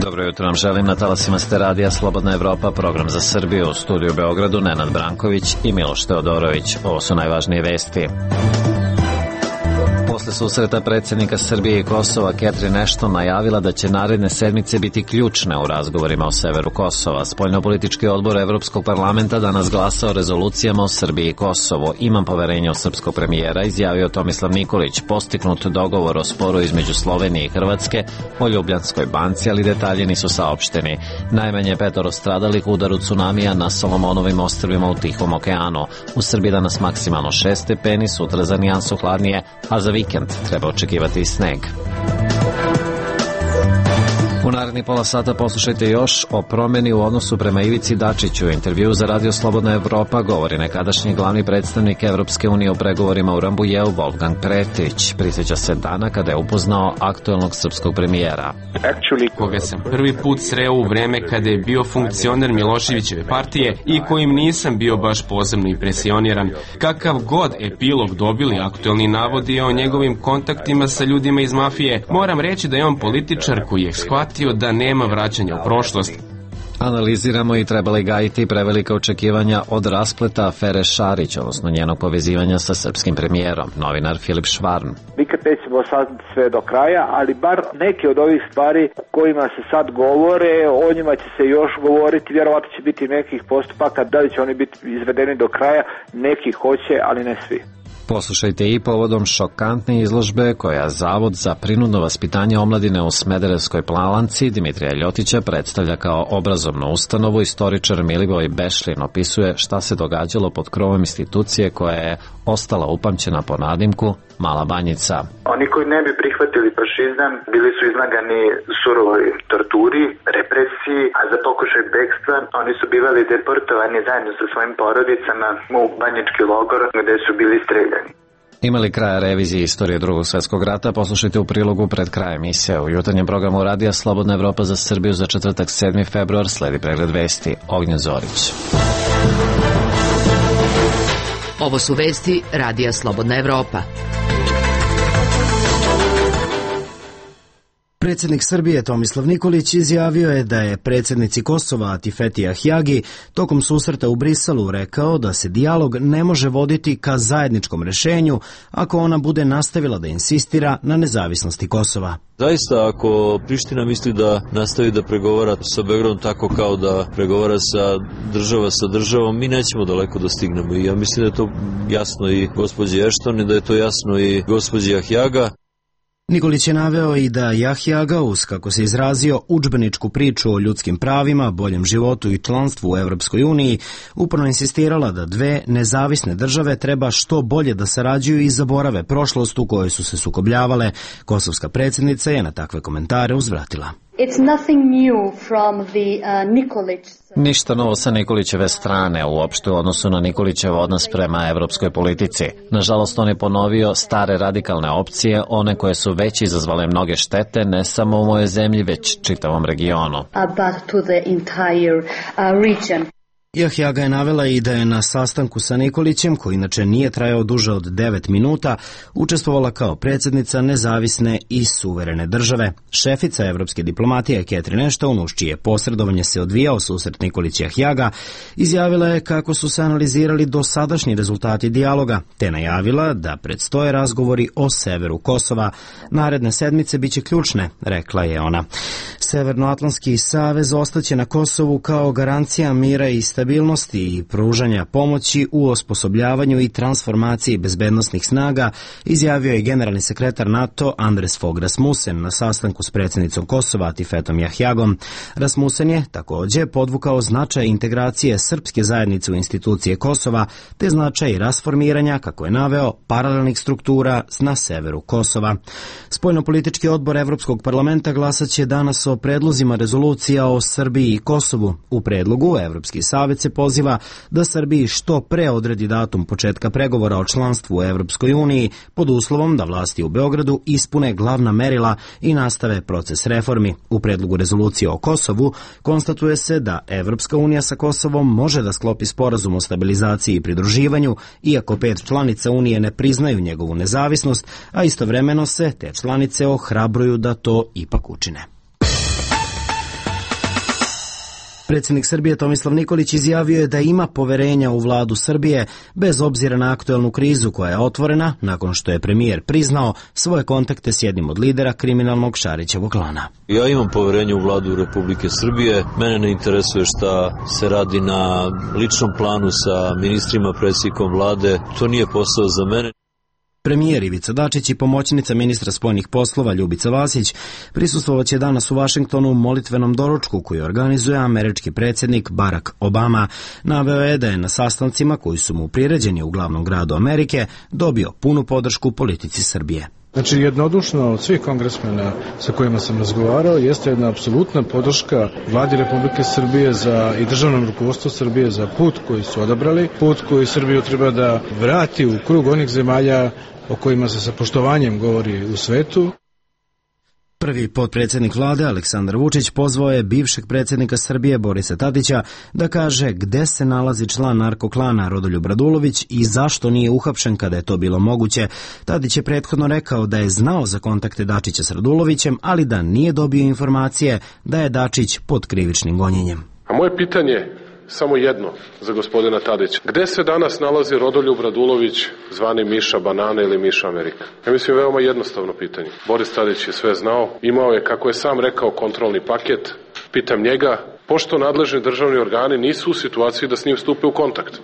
Dobro jutro vam želim, na talasima ste radija Slobodna Evropa, program za Srbiju, u studiju u Beogradu Nenad Branković i Miloš Teodorović. Ovo su najvažnije vesti. Posle susreta predsjednika Srbije i Kosova, Catherine Ashton najavila da će naredne sedmice biti ključne u razgovorima o severu Kosova. Spoljnopolitički odbor Evropskog parlamenta danas glasa o rezolucijama o Srbiji i Kosovu. Imam poverenje u srpskog premijera, izjavio Tomislav Nikolić. Postignut dogovor o sporu između Slovenije i Hrvatske o Ljubljanskoj banci, ali detalji nisu saopšteni. Najmanje 5 stradalih u udaru tsunamija na Solomonovim ostrvima u Tihom okeanu. U Srbiji danas maksimalno 6 stepeni, sutra za nijansu hladnije, a za vikend treba očekivati i sneg. U narednih pola sata poslušajte još o promjeni u odnosu prema Ivici Dačiću. U intervju za Radio Slobodna Evropa govori nekadašnji glavni predstavnik Evropske unije u pregovorima u Rambujeu Wolfgang Pretić. Prisjeća se dana kada je upoznao aktuelnog srpskog premijera. Koga sam prvi put sreo u vreme kada je bio funkcioner Miloševićeve partije i kojim nisam bio baš posebno impresioniran. Kakav god epilog dobili aktuelni navodi o njegovim kontaktima sa ljudima iz mafije, moram reći da je on političar koji je shvatio da nema vraćanja u prošlost. Analiziramo i treba li gajiti prevelika očekivanja od raspleta afere Šarić, odnosno njenog povezivanja sa srpskim premijerom. Novinar Filip Švarn. Nikad nećemo saznati sve do kraja, ali bar neke od ovih stvari kojima se sad govore, o njima će se još govoriti, vjerovatno će biti nekih postupaka, da li će oni biti izvedeni do kraja, neki hoće, ali ne svi. Poslušajte i povodom šokantne izložbe koja Zavod za prinudno vaspitanje omladine u Smederevskoj Palanci Dimitrija Ljotića predstavlja kao obrazovnu ustanovu. Istoričar Milivoj Bešlin opisuje šta se događalo pod krovom institucije koja je ostala upamćena po nadimku Mala Banjica. Oni koji ne bi prihvatili fašizam bili su izlagani surovoj torturi, represiji, a za pokušaj bekstva oni su bivali deportovani zajedno sa svojim porodicama u banjički logor gde su bili streljani. Ima li kraja revizije istorije Drugog svjetskog rata? Poslušajte u prilogu pred krajem emisije. U jutarnjem programu Radija Slobodna Evropa za Srbiju za četvrtak 7. februar sledi pregled vesti. Ognjen Zorić. Ovo su vesti Radija Slobodna Evropa. Predsjednik Srbije Tomislav Nikolić izjavio je da je predsjednici Kosova Atifeti Ahjagi tokom susreta u Briselu rekao da se dijalog ne može voditi ka zajedničkom rešenju ako ona bude nastavila da insistira na nezavisnosti Kosova. Zaista, ako Priština misli da nastavi da pregovara sa Beogradom tako kao da pregovara sa državom, mi nećemo daleko da stignemo. I ja mislim da je to jasno i gospođi Ashton i da je to jasno i gospođi Ahjaga. Nikolić je naveo i da Ahjaga uz, kako se izrazio, udžbeničku priču o ljudskim pravima, boljem životu i članstvu u Evropskoj uniji, uporno insistirala da dve nezavisne države treba što bolje da sarađuju i zaborave prošlost u kojoj su se sukobljavale. Kosovska predsjednica je na takve komentare uzvratila. Ništa novo sa Nikolićeve strane, uopšte u odnosu na Nikolićev odnos prema evropskoj politici. Nažalost, on je ponovio stare radikalne opcije, one koje su već izazvale mnoge štete, ne samo u mojoj zemlji, već čitavom regionu. Ahjaga je navela i da je na sastanku sa Nikolićem, koji inače nije trajao duže od 9 minuta, učestvovala kao predsjednica nezavisne i suverene države. Šefica evropske diplomatije Catherine Ashton, uz čije posredovanje se odvijao susret Nikolić i Ahjaga, izjavila je kako su se analizirali dosadašnji rezultati dijaloga, te najavila da predstoje razgovori o severu Kosova. Naredne sedmice biće ključne, rekla je ona. Severnoatlantski savez ostaće na Kosovu kao garancija mira i stabilnosti i pružanja pomoći u osposobljavanju i transformaciji bezbednosnih snaga, izjavio je generalni sekretar NATO Anders Fogh Rasmussen na sastanku s predsjednicom Kosova Atifetom Ahjagom. Rasmussen je također podvukao značaj integracije srpske zajednice u institucije Kosova, te značaj rasformiranja, kako je naveo, paralelnih struktura na severu Kosova. Spoljnopolitički odbor Evropskog parlamenta glasaće danas o predlozima rezolucija o Srbiji i Kosovu. U predlogu Evropski savez savet se poziva da Srbiji što pre odredi datum početka pregovora o članstvu u Evropskoj uniji pod uslovom da vlasti u Beogradu ispune glavna merila i nastave proces reformi. U predlogu rezolucije o Kosovu konstatuje se da Evropska unija sa Kosovom može da sklopi sporazum o stabilizaciji i pridruživanju, iako 5 članica unije ne priznaju njegovu nezavisnost, a istovremeno se te članice ohrabruju da to ipak učine. Predsjednik Srbije Tomislav Nikolić izjavio je da ima poverenja u vladu Srbije bez obzira na aktuelnu krizu koja je otvorena nakon što je premijer priznao svoje kontakte s jednim od lidera kriminalnog Šarićevog klana. Ja imam poverenje u vladu Republike Srbije. Mene ne interesuje šta se radi na ličnom planu sa ministrima, predsjednikom vlade. To nije posao za mene. Premijer Ivica Dačić i pomoćnica ministra spoljnih poslova Ljubica Vasić prisustvovaće danas u Vašingtonu u molitvenom doručku koji organizuje američki predsjednik Barack Obama. Naveo je da je na sastancima koji su mu priređeni u glavnom gradu Amerike dobio punu podršku politici Srbije. Znači, jednodušno od svih kongresmena sa kojima sam razgovarao jeste jedna apsolutna podrška vladi Republike Srbije i državnom rukovodstvu Srbije za put koji su odabrali, put koji Srbiju treba da vrati u krug onih zemalja o kojima se sa poštovanjem govori u svetu. Prvi potpredsjednik vlade Aleksandar Vučić pozvao je bivšeg predsjednika Srbije Borisa Tadića da kaže gde se nalazi član narkoklana Rodoljub Radulović i zašto nije uhapšen kada je to bilo moguće. Tadić je prethodno rekao da je znao za kontakte Dačića s Radulovićem, ali da nije dobio informacije da je Dačić pod krivičnim gonjenjem. A moje pitanje samo jedno za gospodina Tadića. Gde se danas nalazi Rodoljub Radulović, zvani Miša Banana ili Miša Amerika? Ja mislim veoma jednostavno pitanje. Boris Tadić je sve znao, imao je, kako je sam rekao, kontrolni paket. Pitam njega, pošto nadležni državni organi nisu u situaciji da s njim stupe u kontakt.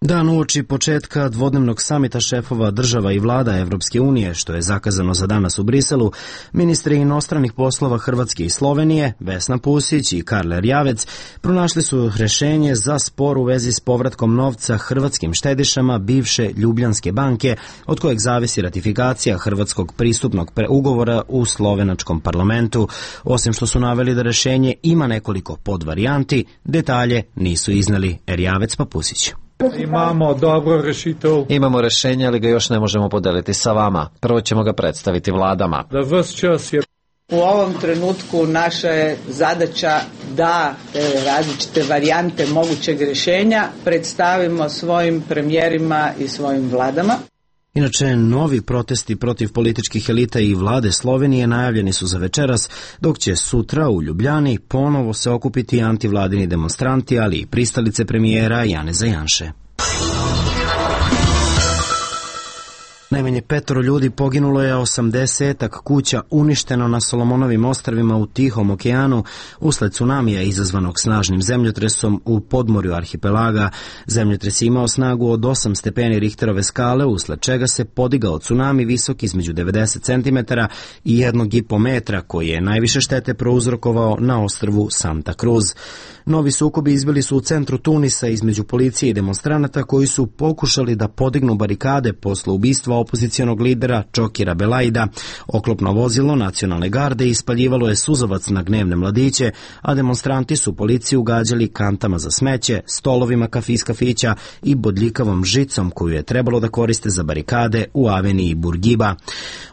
Dan uoči početka dvodnevnog samita šefova država i vlada Evropske unije, što je zakazano za danas u Briselu, ministri inostranih poslova Hrvatske i Slovenije, Vesna Pusić i Karl Erjavec, pronašli su rešenje za spor u vezi s povratkom novca hrvatskim štedišama bivše Ljubljanske banke, od kojeg zavisi ratifikacija hrvatskog pristupnog ugovora u slovenačkom parlamentu. Osim što su naveli da rešenje ima nekoliko podvarijanti, detalje nisu iznali Erjavec pa Pusić. Imamo dobro rešitev. Imamo rešenje, ali ga još ne možemo podeliti sa vama. Prvo ćemo ga predstaviti vladama. Da vas čas je... U ovom trenutku naša je zadaća da različite varijante mogućeg rešenja predstavimo svojim premijerima i svojim vladama. Inače, novi protesti protiv političkih elita i vlade Slovenije najavljeni su za večeras, dok će sutra u Ljubljani ponovo se okupiti antivladini demonstranti, ali i pristalice premijera Janeza Janše. Najmanje 5 ljudi poginulo je, 80 kuća uništeno na Solomonovim ostrvima u Tihom okeanu usled tsunamija izazvanog snažnim zemljotresom u podmorju arhipelaga. Zemljotres je imao snagu od 8 stepeni Richterove skale, usled čega se podigao tsunami visok između 90 cm i 1,5 metra, koji je najviše štete prouzrokovao na ostrvu Santa Cruz. Novi sukobi izbili su u centru Tunisa između policije i demonstranata koji su pokušali da podignu barikade posle ubistva opozicionog lidera Čokira Belaida. Oklopno vozilo nacionalne garde ispaljivalo je suzavac na gnevne mladiće, a demonstranti su policiju gađali kantama za smeće, stolovima kafića i bodljikavom žicom koju je trebalo da koriste za barikade u aveniji Burgiba.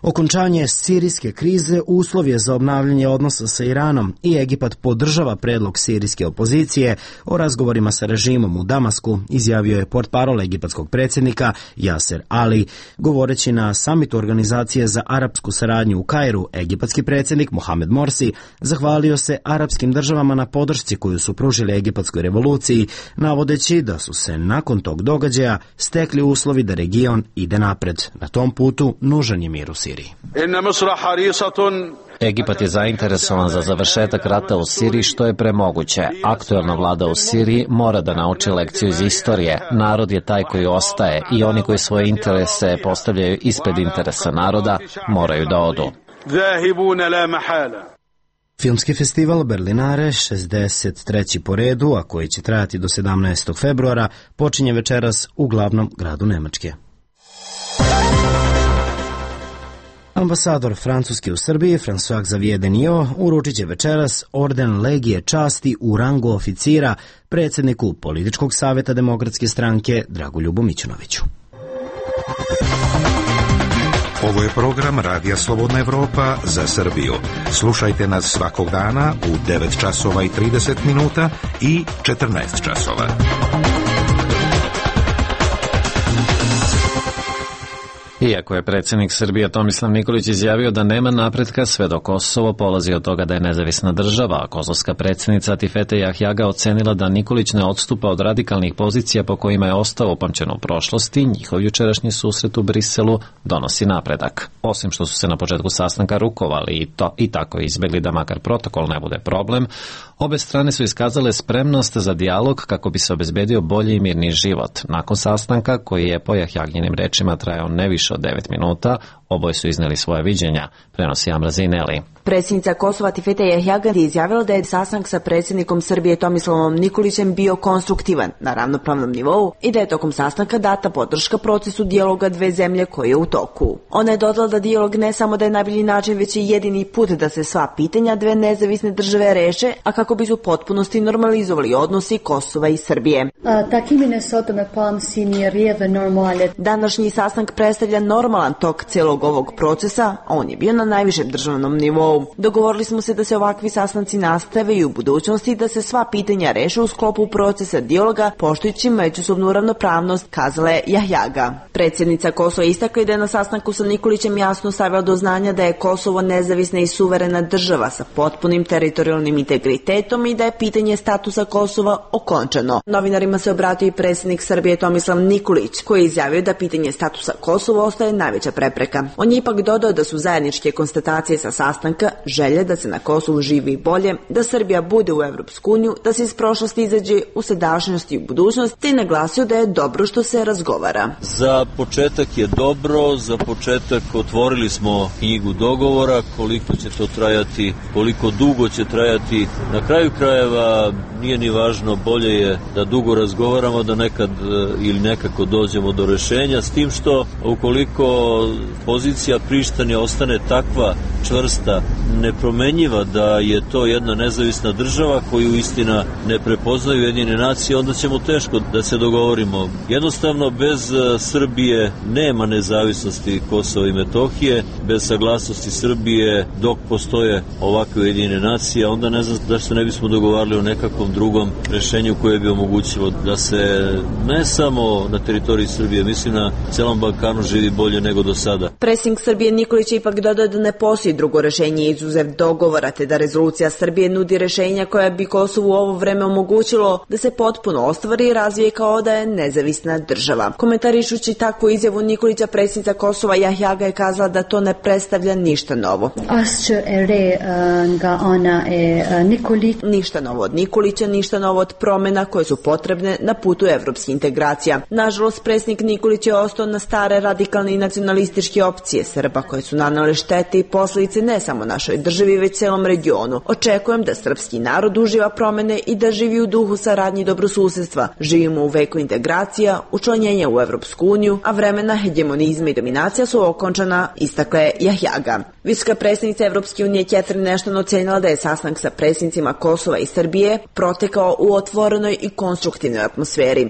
Okončanje sirijske krize uslov je za obnavljanje odnosa sa Iranom i Egipat podržava predlog sirijske opozicije o razgovorima sa režimom u Damasku, izjavio je portparol egipatskog predsjednika Jaser Ali. Govoreći na samitu Organizacije za arapsku saradnju u Kairu, egipatski predsjednik Mohamed Morsi zahvalio se arapskim državama na podršci koju su pružili egipatskoj revoluciji, navodeći da su se nakon tog događaja stekli uslovi da region ide napred. Na tom putu nužan je mir u Siriji. Egipat je zainteresovan za završetak rata u Siriji što je premoguće. Aktuelna vlada u Siriji mora da nauči lekciju iz istorije. Narod je taj koji ostaje i oni koji svoje interese postavljaju ispred interesa naroda moraju da odu. Filmski festival Berlinare, 63. po redu, a koji će trajati do 17. februara, počinje večeras u glavnom gradu Nemačke. Ambasador Francuske u Srbiji, François Xavier Denio, uručit će večeras orden Legije časti u rangu oficira predsjedniku Političkog savjeta Demokratske stranke Dragoljubu Mićunoviću. Ovo je program Radija Slobodna Evropa za Srbiju. Slušajte nas svakog dana u 9 časova i 30 minuta i 14 časova. Iako je predsjednik Srbije Tomislav Nikolić izjavio da nema napretka sve dok Kosovo polazi od toga da je nezavisna država, a kosovska predsjednica Atifete Jahjaga ocenila da Nikolić ne odstupa od radikalnih pozicija po kojima je ostao upamćen u prošlosti, njihov jučerašnji susret u Briselu donosi napredak. Osim što su se na početku sastanka rukovali i tako izbjegli da makar protokol ne bude problem, obe strane su iskazale spremnost za dijalog kako bi se obezbedio bolji i mirni život. Nakon sastanka, koji je po Jahjaginim rečima trajao ne više od 9 minuta, oboje su izneli svoje viđenja, prenosi Amra Zineli. Predsjednica Kosova Atifete Jahjaga je izjavila da je sastanak sa predsjednikom Srbije Tomislavom Nikolićem bio konstruktivan na ravnopravnom nivou i da je tokom sastanka data podrška procesu dijaloga dve zemlje koji je u toku. Ona je dodala da dijalog ne samo da je najbolji način, već i jedini put da se sva pitanja dve nezavisne države reše, a kako bi se u potpunosti normalizovali odnosi Kosova i Srbije. Današnji sastanak predstavlja normalan tok celog ovog procesa, a on je bio na najvišem državnom nivou. Dogovorili smo se da se ovakvi sastanci nastave i u budućnosti, da se sva pitanja reše u sklopu procesa dijaloga, poštujući međusobnu ravnopravnost, kazala je Jahjaga. Predsjednica Kosova istakla da je na sastanku sa Nikolićem jasno stavila do znanja da je Kosovo nezavisna i suverena država sa potpunim teritorijalnim integritetom i da je pitanje statusa Kosova okončano. Novinarima se obratio i predsjednik Srbije Tomislav Nikolić, koji je izjavio da pitanje statusa Kosova ostaje najveća prepreka. On je ipak dodao da su zajedničke konstatacije sa sastanka želje da se na Kosovu živi bolje, da Srbija bude u Evropsku uniju, da se iz prošlosti izađe u sadašnjost i u budućnost, te naglasio da je dobro što se razgovara. Za početak je dobro, za početak otvorili smo knjigu dogovora, koliko će to trajati, koliko dugo će trajati. Na kraju krajeva nije ni važno, bolje je da dugo razgovaramo, da nekad ili nekako dođemo do rešenja, s tim što ukoliko pozicija Prištine ostane takva čvrsta, nepromenjiva da je to jedna nezavisna država koju istina ne prepoznaju Ujedinjene nacije, onda ćemo teško da se dogovorimo. Jednostavno, bez Srbije nema nezavisnosti Kosova i Metohije, bez saglasnosti Srbije dok postoje ovakve Ujedinjene nacije, onda ne znam da se ne bismo dogovarali o nekakvom drugom rešenju koje bi omogućilo da se ne samo na teritoriji Srbije, mislim na celom Balkanu živi bolje nego do sada. Predsjednik Srbije Nikolić je ipak dodao da ne postoji drugo rešenje izuzev dogovora, te da rezolucija Srbije nudi rešenja koja bi Kosovu u ovo vreme omogućilo da se potpuno ostvari i razvije kao da je nezavisna država. Komentarišući takvu izjavu Nikolića, predsjednica Kosova Jahjaga je kazala da to ne predstavlja ništa novo. Ništa novo od Nikolića, ništa novo od promjena koje su potrebne na putu evropskih integracija. Nažalost, predsjednik Nikolić je ostao na stare radikalne i nacionalističke opcije Srba koje su nanale štete i posljedice ne samo našoj državi, već celom regionu. Očekujem da srpski narod uživa promene i da živi u duhu saradnje i dobrosusedstva. Živimo u veku integracija, učlanjenja u Evropsku uniju, a vremena hegemonizma i dominacija su okončana, istakla je Jahjaga. Visoka predsjednica Evropske unije Catherine Ashton ocenila da je sastanak sa predsjednicima Kosova i Srbije protekao u otvorenoj i konstruktivnoj atmosferi.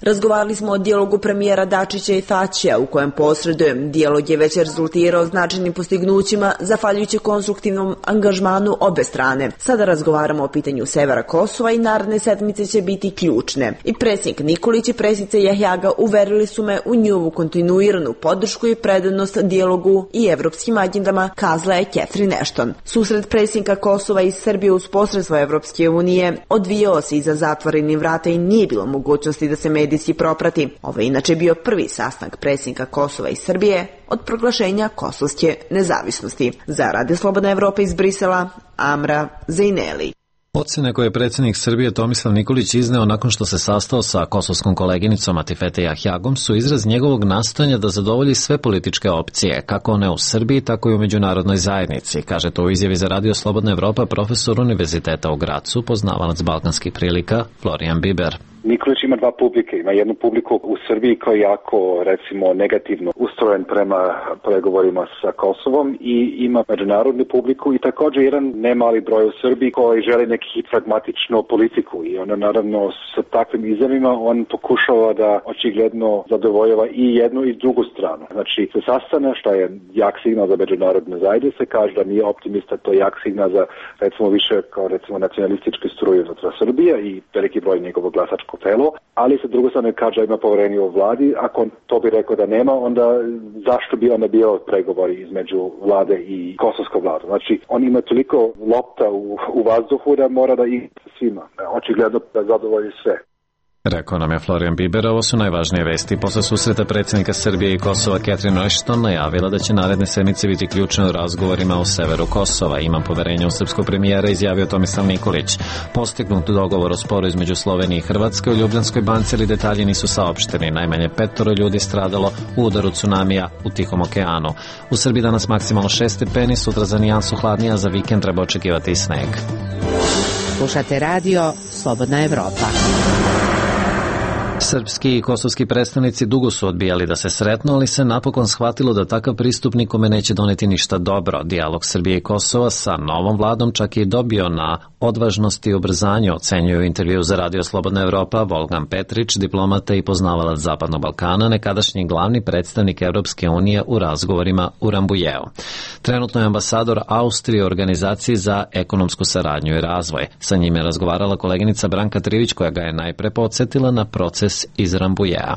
Razgovarali smo o dijalogu premijera Dačića i Thaçija u kojem posredujem. Dijalog je već rezultirao značajnim postignućima zahvaljujući konstruktivnom angažmanu obe strane. Sada razgovaramo o pitanju severa Kosova i naredne sedmice će biti ključne. I predsjednik Nikolić i predsjednica Jahjaga uverili su me u njihovu kontinuiranu podršku i predanost dijalogu i evropskim agendama, kazala je Catherine Ashton. Susret predsjednika Kosova i Srbije uz posredstvo Evropske unije odvijao se iza zatvorenih vrata i nije bilo mogućnosti da se medijski proprati. Ovo je inače bio prvi sastanak predsjednika Kosova i Srbije od proglašenja kosovske nezavisnosti. Za Radio Slobodna Evropa iz Brisela, Amra Zineli. Ocene koje je predsjednik Srbije Tomislav Nikolić izneo nakon što se sastao sa kosovskom koleginicom Atifete Jahjagom su izraz njegovog nastojanja da zadovolji sve političke opcije, kako one u Srbiji, tako i u međunarodnoj zajednici, kaže to u izjavi za Radio Slobodna Evropa profesor Univerziteta u Gracu, poznavalac balkanskih prilika Florian Biber. Nikolić ima dva publike. Ima jednu publiku u Srbiji koja je jako, recimo, negativno ustrojen prema pregovorima sa Kosovom i ima međunarodnu publiku i također jedan nemali broj u Srbiji koji želi neki pragmatičnu politiku i onda naravno sa takvim izjavima on pokušava da očigledno zadovoljava i jednu i drugu stranu. Znači se sastane, što je jak signal za međunarodne zajednice, kaže da nije optimista, to je jak signal za recimo više kao recimo nacionalističke struje unutar Srbije i veliki broj njegovog glasačkog telo, ali sa druge strane kaže da ima poverenje u vladi. Ako to bi rekao da nema, onda zašto bi onda bio pregovori između vlade i kosovske vlade? Znači on ima toliko lopta u vazduhu da mora da ih svima. Očigledno da zadovolji sve. Rekao nam je Florian Biber, ovo su najvažnije vesti. Posle susreta predsjednika Srbije i Kosova Catherine Ashton najavila da će naredne sedmice biti ključne u razgovorima o severu Kosova. Imam poverenje u srpskog premijera, izjavio Tomislav Nikolić. Postignut dogovor o sporu između Slovenije i Hrvatske u Ljubljanskoj banci, ali detalji nisu saopšteni. Najmanje 5 ljudi stradalo u udaru tsunamija u Tihom okeanu. U Srbiji danas maksimalno 6 stepeni, sutra za nijansu hladnije, a za vikend treba očekivati i sneg. Slušate radio Slobodna Evropa. Srpski i kosovski predstavnici dugo su odbijali da se sretnu, ali se napokon shvatilo da takav pristup nikome neće doneti ništa dobro. Dijalog Srbije i Kosova sa novom vladom čak je dobio na odvažnosti i ubrzanju, ocenjuje u intervju za Radio Slobodna Evropa Volgan Petrić, diplomata i poznavalac Zapadnog Balkana, nekadašnji glavni predstavnik Evropske unije u razgovorima u Rambujeu. Trenutno je ambasador Austrije u Organizaciji za ekonomsku saradnju i razvoj. Sa njim je razgovarala koleginica Branka Trivić, koja ga je najpre podsjetila na proces iz Rambujea.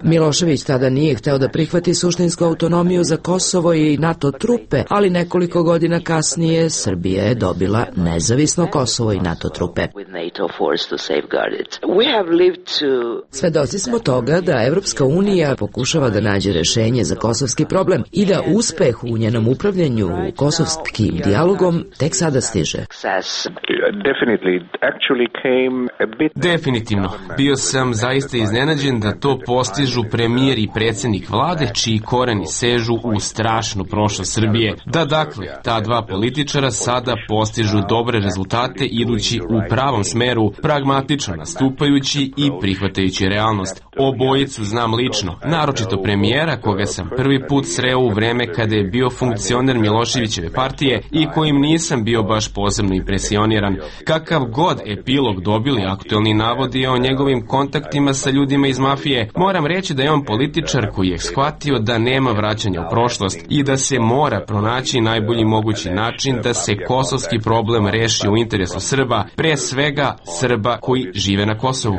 Milošević tada nije hteo da prihvati suštinsku autonomiju za Kosovo i NATO trupe, ali nekoliko godina kasnije Srbija je dobila nezavisno Kosovo i NATO trupe. Svedoci smo toga da Evropska unija pokušava da nađe rešenje za kosovski problem i da uspeh u njenom upravljanju kosovskim dijalogom tek sada stiže. Definitivno. Bio sam zaista iznenađen da to postižu premijer i predsjednik vlade, čiji koreni sežu u strašnu prošlost Srbije. Da, dakle, ta dva političara sada postižu dobre rezultate idući u pravom smeru, pragmatično nastupajući i prihvatajući realnost. Obojicu znam lično, naročito premijera, koga sam prvi put sreo u vreme kada je bio funkcioner Miloševićeve partije i kojim nisam bio baš posebno impresioniran. Kakav god epilog dobili aktuelni navodi o njegovim kontaktima sa ljudima iz mafije, moram reći da je on političar koji je shvatio da nema vraćanja u prošlost i da se mora pronaći najbolji mogući način da se kosovski problem reši u interesu Srba, pre svega Srba koji žive na Kosovu.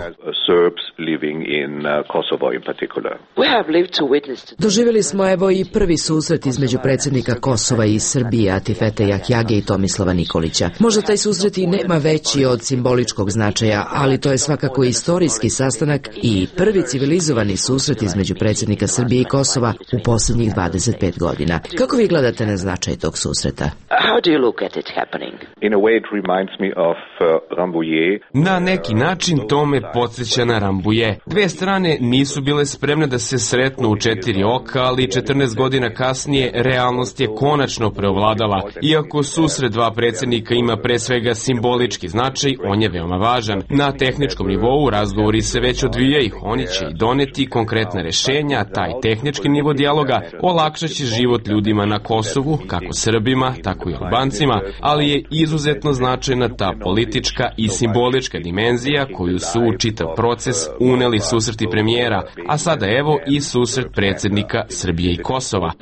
Doživjeli smo evo i prvi susret između predsjednika Kosova i Srbije Atifete Jahjage i Tomislava Nikolića. Možda taj susret i nema veći od simboličkog značaja, ali to je svakako istorijski sastanak i prvi civilizovani susret između predsjednika Srbije i Kosova u posljednjih 25 godina. Kako vi gledate na značaj tog susreta? Na neki način to me podsjeća na Rambuje. Dve strane nisu bile spremne da se sretnu u 4 oka, ali 14 godina kasnije realnost je konačno preovladala. Iako susret dva predsjednika ima pre svega simbolički značaj, on je veoma važan. Na tehničkom nivou razgovori se već odvijaju, oni će i doneti konkretna rešenja, taj tehnički nivo dijaloga olakšaće život ljudima na Kosovu, kako Srbima, tako i Albancima, ali je izuzetno značajna ta politička i simbolička dimenzija koju su u čitav proces uneli susreti premijera, a sada evo i susret predsjednika Srbije i Kosova.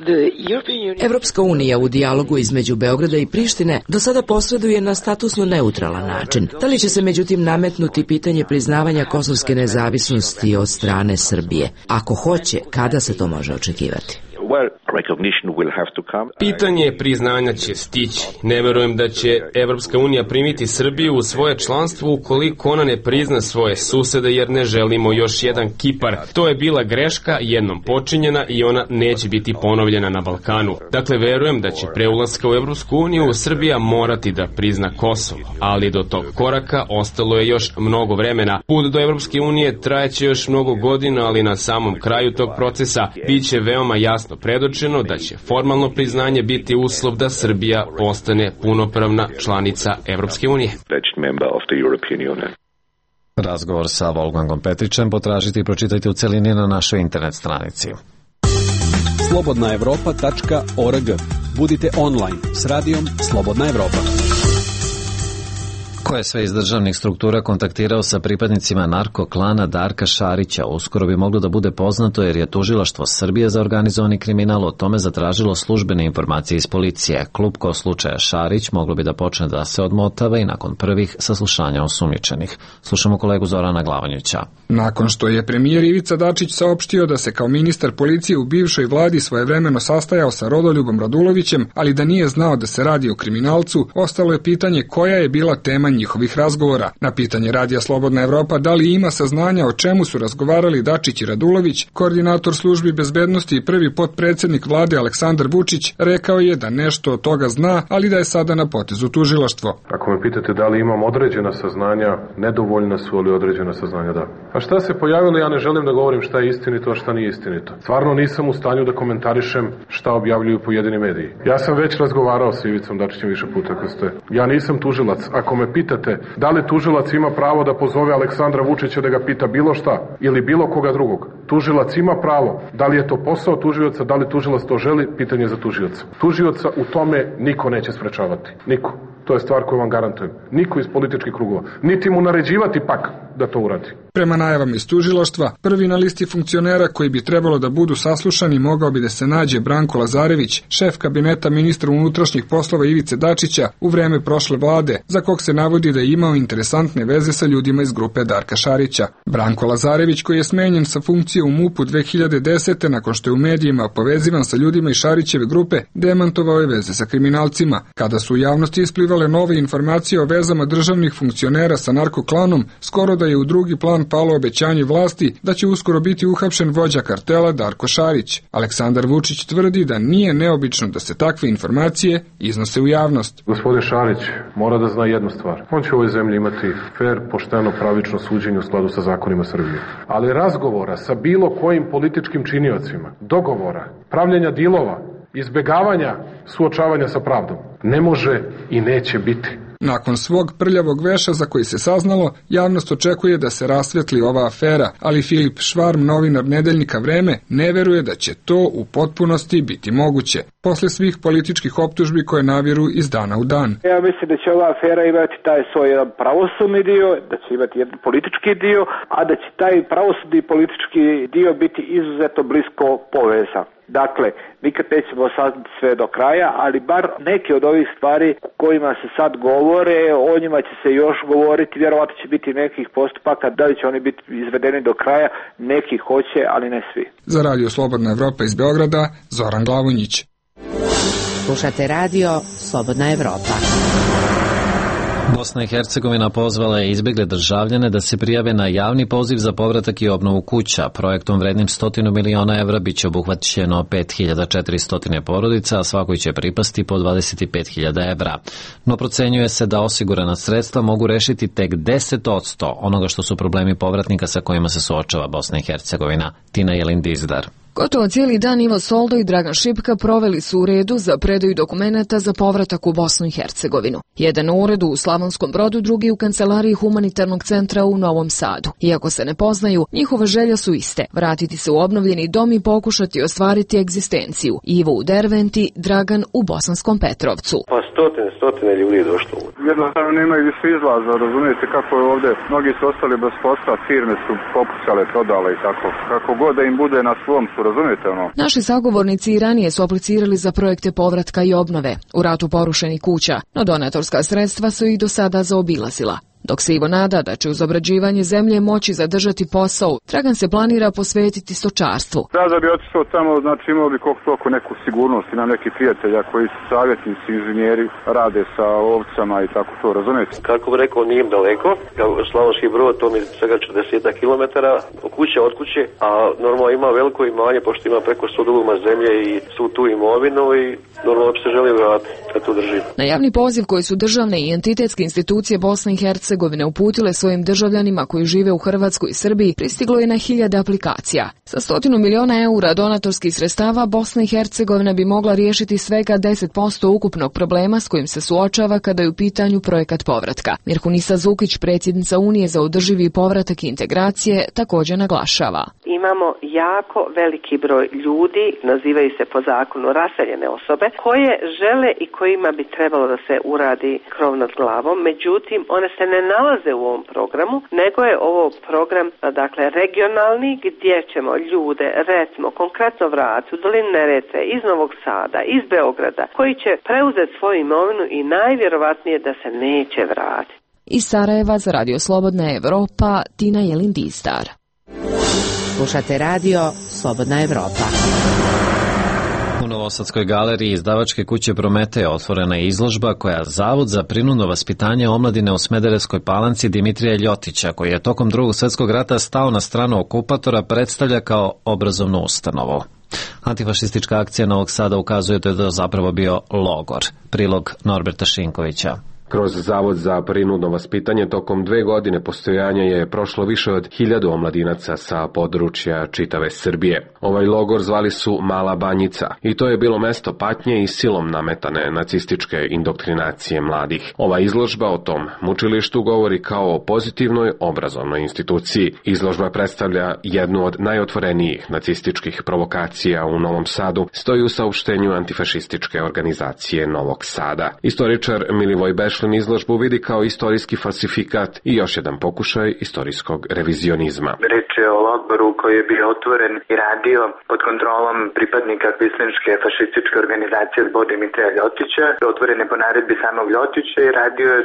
Evropska unija u dijalogu između Beograda i Prištine do sada posreduje na statusno neutralan način. Da li će se međutim nametnuti pitanje priznavanja kosovske nezavisnosti od strane Srbije? Ako hoće, kada se to može očekivati? Pitanje priznanja će stići. Ne verujem da će Evropska unija primiti Srbiju u svoje članstvo ukoliko ona ne prizna svoje susede, jer ne želimo još jedan Kipar. To je bila greška jednom počinjena i ona neće biti ponovljena na Balkanu. Dakle, verujem da će pre ulaska u Evropsku uniju Srbija morati da prizna Kosovo, ali do tog koraka ostalo je još mnogo vremena. Put do Evropske unije trajeće još mnogo godina, ali na samom kraju tog procesa biće veoma jasno predočeno da će formalno priznanje biti uslov da Srbija postane punopravna članica Evropske unije. Razgovor sa Wolfgangom Petrićem potražite i pročitajte u celini na našoj internet stranici. slobodnaevropa.org. Budite online s radijom Slobodna Evropa. Ko je sve iz državnih struktura kontaktirao sa pripadnicima narko-klana Darka Šarića, uskoro bi moglo da bude poznato jer je Tužilaštvo Srbije za organizovani kriminal o tome zatražilo službene informacije iz policije. Klupko slučaja Šarić moglo bi da počne da se odmotava i nakon prvih saslušanja osumnjičenih. Slušamo kolegu Zorana Glavanjića. Nakon što je premijer Ivica Dačić saopštio da se kao ministar policije u bivšoj vladi svojevremeno sastajao sa Rodoljubom Radulovićem, ali da nije znao da se radi o kriminalcu, ostalo je pitanje koja je bila tema njihovih razgovora. Na pitanje Radija Slobodna Evropa da li ima saznanja o čemu su razgovarali Dačić i Radulović, koordinator službi bezbednosti i prvi potpredsednik vlade Aleksandar Vučić rekao je da nešto od toga zna, ali da je sada na potezu tužilaštvo. Ako me pitate da li imam određena saznanja, nedovoljna su, ali određena saznanja da. A šta se pojavilo, ja ne želim da govorim šta je istinito, a šta nije istinito. Stvarno nisam u stanju da komentarišem šta objavljuju pojedini mediji. Ja sam već razgovarao sa Ivicom Dačićem više puta kad ste. Ja nisam tužilac. Ako me pitate da li tužilac ima pravo da pozove Aleksandra Vučića da ga pita bilo šta ili bilo koga drugog, tužilac ima pravo. Da li je to posao tužioca, da li tužilac to želi, pitanje za tužioca. Tužioca u tome niko neće sprečavati. Niko. To je stvar koju vam garantujem. Niko iz političkih krugova. Niti mu naređivati pak da to uradi. Prema najavama iz tužilaštva, prvi na listi funkcionera koji bi trebalo da budu saslušani mogao bi da se nađe Branko Lazarević, šef kabineta ministra unutrašnjih poslova Ivice Dačića u vreme prošle vlade, za kog se navodi da je imao interesantne veze sa ljudima iz grupe Darka Šarića. Branko Lazarević, koji je smenjen sa funkcije u MUP-u 2010. nakon što je u medijima povezivan sa ljudima iz Šarićeve grupe, demantovao je veze sa kriminalcima. Kada su u javnosti isplivale nove informacije o vezama državnih funkcionera sa narkoklanom, skoro da je u drugi plan palo obećanje vlasti da će uskoro biti uhapšen vođa kartela Darko Šarić. Aleksandar Vučić tvrdi da nije neobično da se takve informacije iznose u javnost. Gospodin Šarić mora da zna jednu stvar. On će u ovoj zemlji imati fer, pošteno, pravično suđenje u skladu sa zakonima Srbije. Ali razgovora sa bilo kojim političkim činiocima, dogovora, pravljenja dilova, izbegavanja suočavanja sa pravdom ne može i neće biti. Nakon svog prljavog veša za koji se saznalo, javnost očekuje da se rasvetli ova afera, ali Filip Švarm, novinar nedeljnika Vreme, ne veruje da će to u potpunosti biti moguće, posle svih političkih optužbi koje naviru iz dana u dan. Ja mislim da će ova afera imati taj svoj jedan pravosudni dio, da će imati jedan politički dio, a da će taj pravosudni i politički dio biti izuzetno blisko povezan. Dakle, nikad nećemo saznati sve do kraja, ali bar neke od ovih stvari kojima se sad govore, o njima će se još govoriti, vjerovatno će biti nekih postupaka, da li će oni biti izvedeni do kraja, neki hoće, ali ne svi. Za Radio Slobodna Evropa iz Beograda, Zoran Glavonjić. Slušate Radio Slobodna Evropa. Bosna i Hercegovina pozvala je izbegle državljane da se prijave na javni poziv za povratak i obnovu kuća. Projektom vrednim 100 miliona evra biće obuhvaćeno 5400 porodica, a svakoj će pripasti po 25.000 evra. No procenjuje se da osigurana sredstva mogu rešiti tek 10% onoga što su problemi povratnika sa kojima se suočava Bosna i Hercegovina. Tina Jelin Dizdar. Gotovo cijeli dan Ivo Soldo i Dragan Šipka proveli su u redu za predaju dokumenata za povratak u Bosnu i Hercegovinu. Jedan u uredu u Slavonskom Brodu, drugi u kancelariji Humanitarnog centra u Novom Sadu. Iako se ne poznaju, njihove želje su iste. Vratiti se u obnovljeni dom i pokušati ostvariti egzistenciju. Ivo u Derventi, Dragan u Bosanskom Petrovcu. Pa stotine ljudi je došlo. Jednostavno nemaju više izlaza, razumijete kako je ovdje. Mnogi su ostali bez posla, firme su popucale, prodale i tako. Kako god da im bude na svom su, razumijete ono. Naši sagovornici i ranije su aplicirali za projekte povratka i obnove u ratu porušenih kuća, no donatorska sredstva su ih do sada zaobilazila. Dok se Ivo nada da će uz obrađivanje zemlje moći zadržati posao, Dragan se planira posvetiti stočarstvu. Da bi otišao tamo, znači imao bi koliko toliko neku sigurnost, imam neki prijatelja koji su savjetnici, inženjeri, rade sa ovcama i tako to, razumijete? Kako bi rekao, nije daleko, Slavonski Brod, to mi je svega 40 kilometara, kuća od kuće, a normalno ima veliko imanje, pošto ima preko 100 duguma zemlje i svu tu imovinu i normalno bi se želio vratiti, da to drži. Na javni poziv koji su državne i entitetske institucije Bosne i Hercegovine uputile svojim državljanima koji žive u Hrvatskoj i Srbiji pristiglo je na 1000 aplikacija. Sa 100 miliona eura donatorskih sredstava Bosna i Hercegovina bi mogla riješiti svega 10% ukupnog problema s kojim se suočava kada je u pitanju projekat povratka. Mirhunisa Zukić, predsjednica Unije za održivi povratak i integracije, također naglašava. Imamo jako veliki broj ljudi, nazivaju se po zakonu raseljene osobe, koje žele i kojima bi trebalo da se uradi krov nad glavom. Međutim, one se ne nalaze u ovom programu, nego je ovo program, dakle, regionalni, gdje ćemo ljude, recimo, konkretno vratiti u dolinu Neretve, iz Novog Sada, iz Beograda, koji će preuzeti svoju imovinu i najvjerovatnije da se neće vratiti. Iz Sarajeva za Radio Slobodna Evropa, Tina Jelin-Distar. Slušate radio Slobodna Evropa. U Novosadskoj galeriji izdavačke kuće Prometej otvorena je izložba koja Zavod za prinudno vaspitanje omladine u Smederevskoj Palanci Dimitrija Ljotića, koji je tokom Drugog svjetskog rata stao na stranu okupatora, predstavlja kao obrazovnu ustanovu. Antifašistička akcija Novog Sada ukazuje da je to zapravo bio logor. Prilog Norberta Šinkovića. Kroz Zavod za prinudno vaspitanje tokom 2 godine postojanja je prošlo više od 1000 omladinaca sa područja čitave Srbije. Ovaj logor zvali su Mala Banjica i to je bilo mesto patnje i silom nametane nacističke indoktrinacije mladih. Ova izložba o tom mučilištu govori kao o pozitivnoj obrazovnoj instituciji. Izložba predstavlja jednu od najotvorenijih nacističkih provokacija u Novom Sadu, stoji u saopštenju antifašističke organizacije Novog Sada. Istoričar Milivoj Bešlin izložbu vidi kao istorijski falsifikat i još jedan pokušaj istorijskog revizionizma. Reč je o logoru koji je bio otvoren i radio pod kontrolom pripadnika kvislinške fašističke organizacije zbog Dimitrija Ljotića. Otvoren je po naredbi samog Ljotića i radio je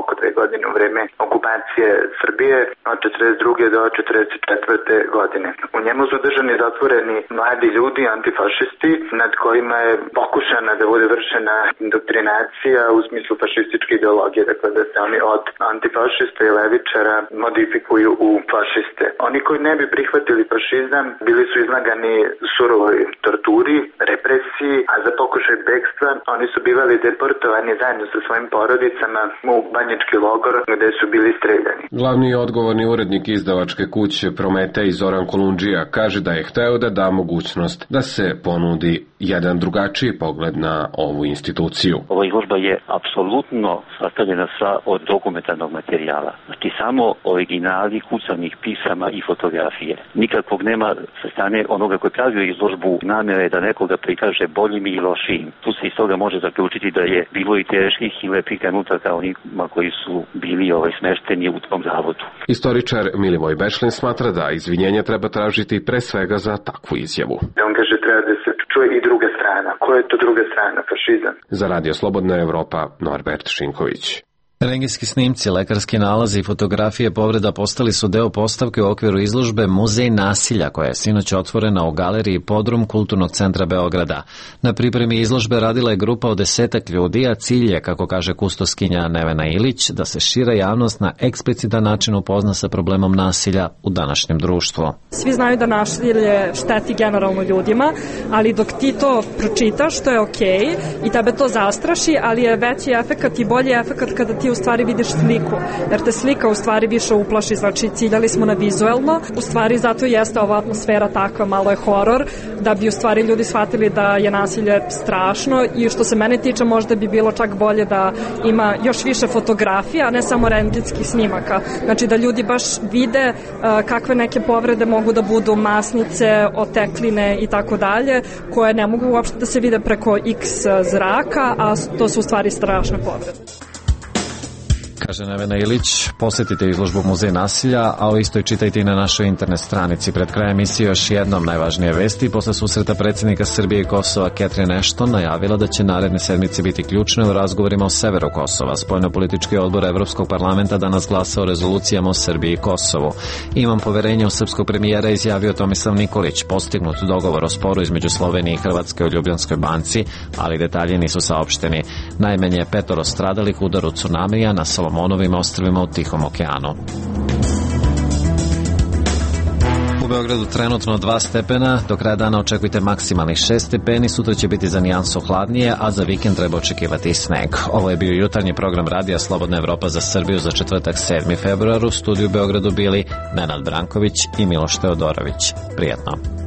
oko 2 godine u vreme okupacije Srbije od 42. do 44. godine. U njemu su držani zatvoreni mladi ljudi, antifašisti, nad kojima je pokušana da bude vršena indoktrinacija u smislu fašističke ideologije, dakle da se oni od antifašista i levičara modifikuju u fašiste. Oni koji ne bi prihvatili fašizam bili su izlagani surovoj torturi, represiji, a za pokušaj bekstva oni su bivali deportovani zajedno sa svojim porodicama u banjički logor gde su bili streljani. Glavni odgovorni urednik izdavačke kuće Prometej Zoran Kolundžija kaže da je hteo da da mogućnost da se ponudi jedan drugačiji pogled na ovu instituciju. Ova izložba je apsolutno sastavljena sva od dokumentarnog materijala. Znači samo originali kucanih pisama i fotografije. Nikakvog nema sa strane onoga koji pravio izložbu namere da nekoga prikaže boljim i lošijim. Tu se iz toga može zaključiti da je bilo i teških i lepih trenutaka onima koji su bili smešteni u tom zavodu. Istoričar Milivoj Bešlin smatra da izvinjenje treba tražiti pre svega za takvu izjavu. On kaže treba da se čuje i druga strana. Koja je to druga strana? Fašizam. Za Radio Slobodna Evropa, Norbert Šinković. Rengijski snimci, lekarski nalazi i fotografije povreda postali su deo postavke u okviru izložbe Muzej nasilja, koja je sinoć otvorena u galeriji Podrum Kulturnog centra Beograda. Na pripremi izložbe radila je grupa od 10 ljudi, a cilj je, kako kaže kustoskinja Nevena Ilić, da se šira javnost na eksplicitan način upozna sa problemom nasilja u današnjem društvu. Svi znaju da nasilje šteti generalno ljudima, ali dok ti to pročitaš, to je okej i tebe to zastraši, ali je veći efekat i bolji efekat kada ti u stvari vidiš sliku, jer te slika u stvari više uplaši, znači ciljali smo na vizuelno, u stvari zato jeste ova atmosfera takva, malo je horor, da bi u stvari ljudi shvatili da je nasilje strašno i što se mene tiče možda bi bilo čak bolje da ima još više fotografija, a ne samo rentgenskih snimaka, znači da ljudi baš vide kakve neke povrede mogu da budu, masnice, otekline i tako dalje, koje ne mogu uopšte da se vide preko X zraka, a to su u stvari strašne povrede. Kaže Nevena Ilić, posjetite izložbu Muzej nasilja, a o istoj čitajte i na našoj internet stranici. Pred krajem emisije još jednom najvažnije vesti. Posle susreta predsjednika Srbije i Kosova Catherine Ashton najavila da će naredne sedmice biti ključne u razgovorima o severu Kosova. Spoljnopolitički odbor Evropskog parlamenta danas glasa o rezolucijama o Srbiji i Kosovu. Imam poverenje u srpskog premijera, izjavio Tomislav Nikolić. Postignut dogovor o sporu između Slovenije i Hrvatske u Ljubljanskoj banci, ali detalji nisu saopšteni. Najmanje 5 stradalih u udaru tsunamija na Solomonovim ostrvima u Tihom okeanu. U Beogradu trenutno 2 stepena, do kraja dana očekujte maksimalnih 6 stepeni, sutra će biti za nijansu hladnije, a za vikend treba očekivati i sneg. Ovo je bio jutarnji program Radija Slobodna Evropa za Srbiju za četvrtak 7. februar. U studiju u Beogradu bili Nenad Branković i Miloš Teodorović. Prijatno.